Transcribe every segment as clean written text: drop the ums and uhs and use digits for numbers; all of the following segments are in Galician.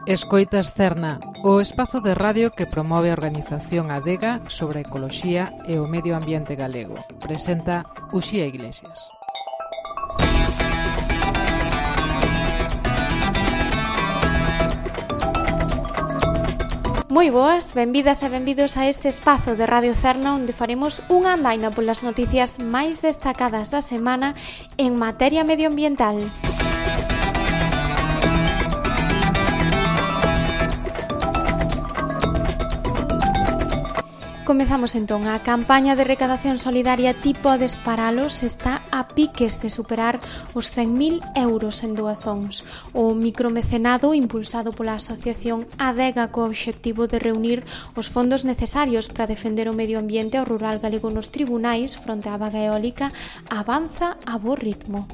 Escoitas Cerna, o espazo de radio que promove a organización Adega sobre a ecoloxía e o medio ambiente galego. Presenta Uxía Iglesias. Moi boas, benvidas e benvidos a este espazo de Radio Cerna onde faremos unha andaina polas noticias máis destacadas da semana en materia medioambiental. Comezamos entón. A campaña de recadación solidaria Ti podes paralos está a piques de superar os 100.000 euros en doazóns. O micromecenado impulsado pola asociación Adega co obxectivo de reunir os fondos necesarios para defender o medio ambiente ao rural galego nos tribunais fronte á vaga eólica avanza a bo ritmo.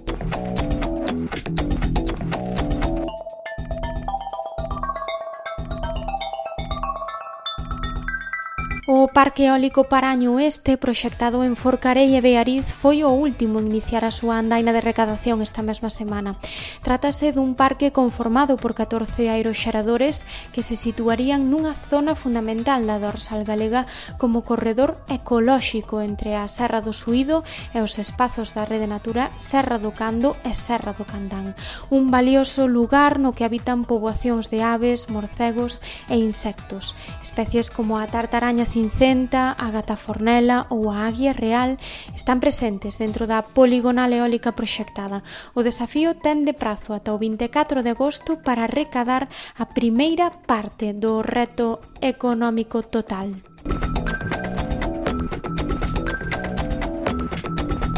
O Parque Eólico Paraño Oeste, proxectado en Forcarei e Beariz, foi o último en iniciar a súa andaina de recadación esta mesma semana. Trátase dun parque conformado por 14 aeroxeradores que se situarían nunha zona fundamental da dorsal galega como corredor ecolóxico entre a Serra do Suído e os espazos da Rede Natura Serra do Cando e Serra do Candán. Un valioso lugar no que habitan poboacións de aves, morcegos e insectos. Especies como a tartaraña cincenta, a gata fornela ou a águia real están presentes dentro da poligonal eólica proxectada. O desafío ten de prazo ata o 24 de agosto para recadar a primeira parte do reto económico total.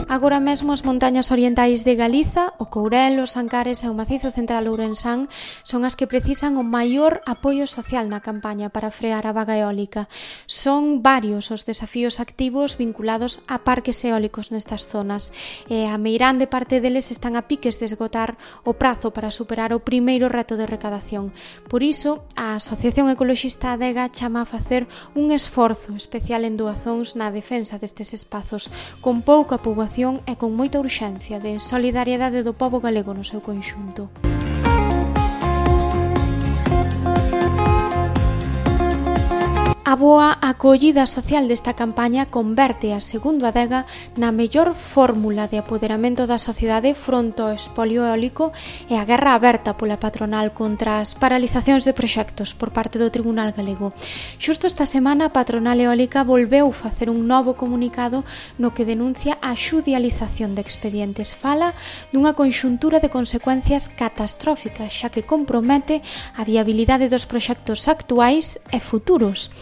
Agora mesmo as montañas orientais de Galiza, o Courel, os Ancares e o Macizo Central Ourensán son as que precisan o maior apoio social na campaña para frear a vaga eólica. Son varios os desafíos activos vinculados a parques eólicos nestas zonas e a meirande parte deles están a piques de esgotar o prazo para superar o primeiro reto de recadación. Por iso, a Asociación Ecoloxista Adega chama a facer un esforzo especial en doazóns na defensa destes espazos, con pouca poboación e con moita urxencia de solidariedade do pobo galego no seu conxunto. A boa acollida social desta campaña converte a segundo Adega na mellor fórmula de apoderamento da sociedade fronte ao espolio eólico e a guerra aberta pola patronal contra as paralizacións de proxectos por parte do Tribunal Galego. Xusto esta semana a patronal eólica volveu facer un novo comunicado no que denuncia a xudialización de expedientes. Fala dunha conxuntura de consecuencias catastróficas xa que compromete a viabilidade dos proxectos actuais e futuros.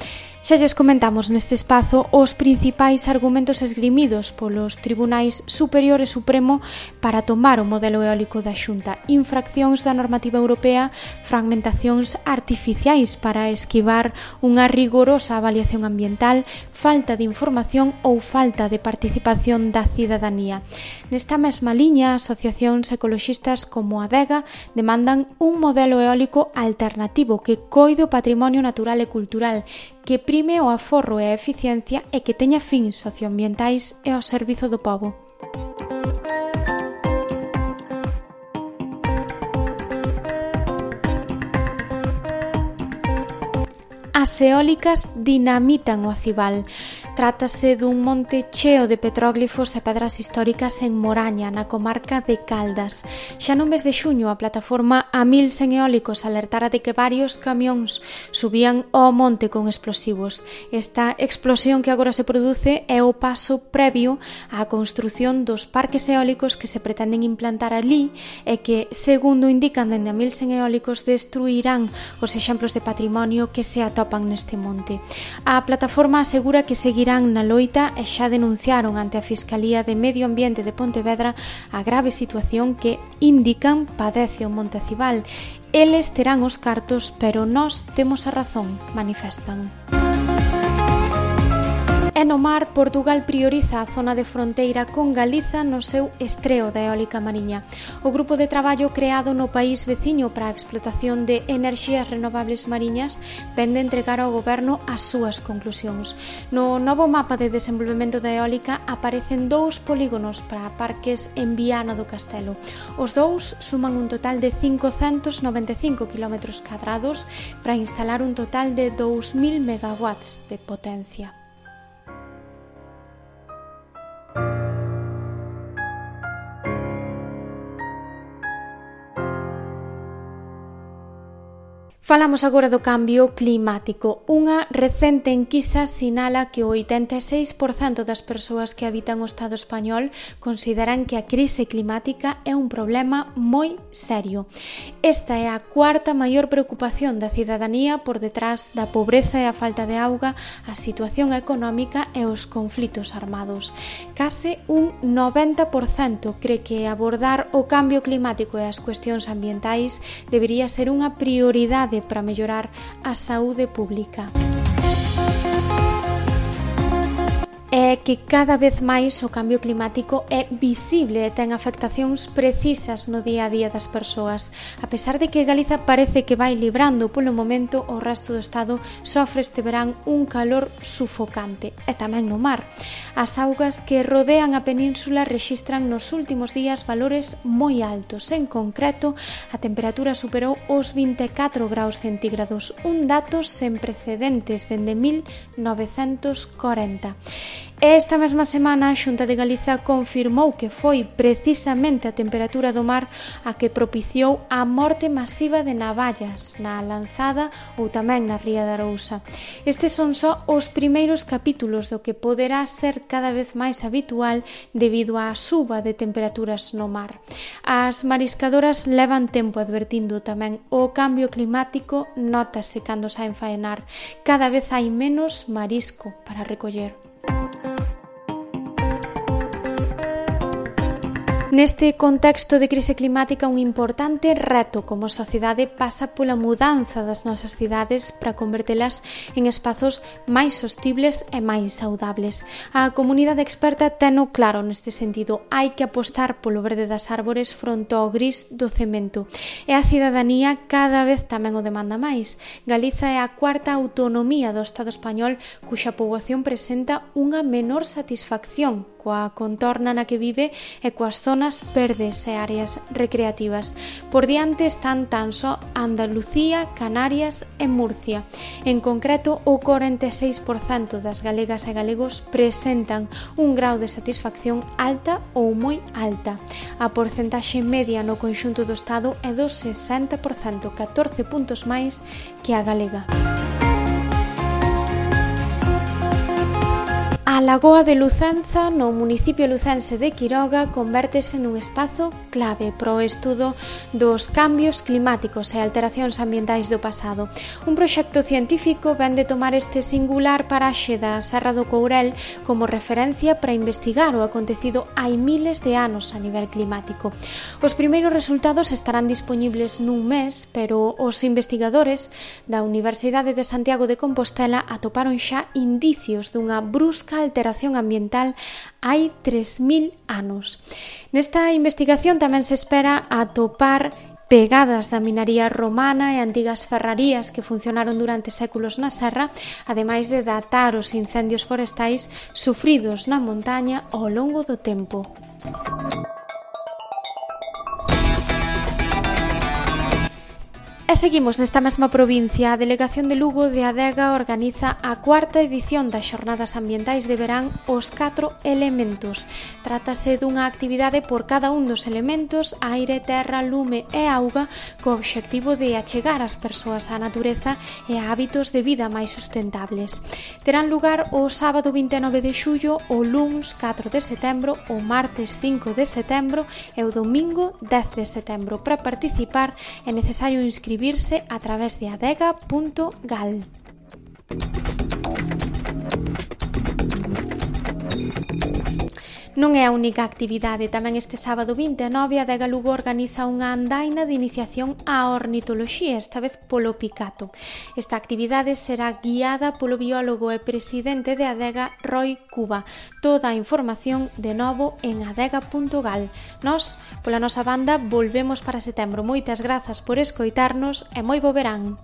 Xa lles comentamos neste espazo os principais argumentos esgrimidos polos tribunais superior e supremo para tomar o modelo eólico da Xunta: infraccións da normativa europea, fragmentacións artificiais para esquivar unha rigorosa avaliación ambiental, falta de información ou falta de participación da cidadanía. Nesta mesma liña, asociacións ecoloxistas como Adega demandan un modelo eólico alternativo que coide o patrimonio natural e cultural, que prime o aforro e a eficiencia e que teña fins socioambientais e ao servizo do pobo. As eólicas dinamitan o Acibal. Trátase dun monte cheo de petróglifos e pedras históricas en Moraña, na comarca de Caldas. Xa no mes de xuño, a plataforma A1100 Eólicos alertara de que varios camións subían ao monte con explosivos. Esta explosión que agora se produce é o paso previo á construción dos parques eólicos que se pretenden implantar ali e que, segundo indican dende A1100 Eólicos, destruirán os exemplos de patrimonio que se atopan neste monte. A plataforma asegura que seguirán na loita e xa denunciaron ante a Fiscalía de Medio Ambiente de Pontevedra a grave situación que, indican, padece o Monte Acibal. Eles terán os cartos, pero nós temos a razón, manifestan. E E no mar, Portugal prioriza a zona de fronteira con Galiza no seu estreo da eólica mariña. O grupo de traballo creado no país veciño para a explotación de enerxías renovables mariñas vende entregar ao goberno as súas conclusións. No novo mapa de desenvolvemento da eólica aparecen 2 polígonos para parques en Viana do Castelo. Os 2 suman un total de 595 km cadrados para instalar un total de 2000 megawatts de potencia. Falamos agora do cambio climático. Unha recente enquisa sinala que o 86% das persoas que habitan o Estado español consideran que a crise climática é un problema moi serio. Esta é a 4ª maior preocupación da cidadanía por detrás da pobreza e a falta de auga, a situación económica e os conflitos armados. Case un 90% cree que abordar o cambio climático e as cuestións ambientais debería ser unha prioridade para mellorar a saúde pública. É que cada vez máis o cambio climático é visible e ten afectacións precisas no día a día das persoas. A pesar de que Galiza parece que vai librando polo momento, o resto do Estado sofre este verán un calor sufocante, e tamén no mar. As augas que rodean a península rexistran nos últimos días valores moi altos. En concreto, a temperatura superou os 24 graus centígrados, un dato sen precedentes dende 1940. Esta mesma semana a Xunta de Galiza confirmou que foi precisamente a temperatura do mar a que propiciou a morte masiva de navallas na Lanzada ou tamén na Ría de Arousa. Estes son só os primeiros capítulos do que poderá ser cada vez máis habitual debido á suba de temperaturas no mar. As mariscadoras levan tempo advertindo tamén o cambio climático, nótase cando saen faenar. Cada vez hai menos marisco para recoller. Neste contexto de crise climática, un importante reto como sociedade pasa pola mudanza das nosas cidades para convertelas en espazos máis sostibles e máis saudables. A comunidade experta teno claro neste sentido. Hai que apostar polo verde das árbores fronte ao gris do cemento. E a cidadanía cada vez tamén o demanda máis. Galiza é a 4ª autonomía do Estado español cuxa poboación presenta unha menor satisfacción coa contorna na que vive e coas zonas verdes e áreas recreativas. Por diante están tan só Andalucía, Canarias e Murcia. En concreto, o 46% das galegas e galegos presentan un grau de satisfacción alta ou moi alta. A porcentaxe media no conxunto do Estado é do 60%, 14 puntos máis que a galega. A Lagoa de Lucenza, no municipio lucense de Quiroga, convértese nun espazo clave para o estudo dos cambios climáticos e alteracións ambientais do pasado. Un proxecto científico vén de tomar este singular paraxe da Serra do Courel como referencia para investigar o acontecido hai miles de anos a nivel climático. Os primeiros resultados estarán dispoñibles nun mes, pero os investigadores da Universidade de Santiago de Compostela atoparon xa indicios dunha brusca alteración ambiental hai 3000 anos. Nesta investigación tamén se espera atopar pegadas da minaría romana e antigas ferrarías que funcionaron durante séculos na serra, ademais de datar os incendios forestais sufridos na montaña ao longo do tempo. E seguimos nesta mesma provincia. A Delegación de Lugo de Adega organiza a 4ª edición das Xornadas Ambientais de Verán Os 4 Elementos. Trátase dunha actividade por cada un dos elementos, aire, terra, lume e auga, co obxectivo de achegar as persoas á natureza e a hábitos de vida máis sustentables. Terán lugar o sábado 29 de xullo, o luns 4 de setembro, o martes 5 de setembro e o domingo 10 de setembro. Para participar é necesario inscribirse a través de adega.gal. Non é a única actividade, tamén este sábado 29 a Adega Lugo organiza unha andaina de iniciación á ornitoloxía, esta vez polo picato. Esta actividade será guiada polo biólogo e presidente de Adega, Roi Cuba. Toda a información de novo en adega.gal. Nós, pola nosa banda, volvemos para setembro. Moitas grazas por escoitarnos e moi bo verán.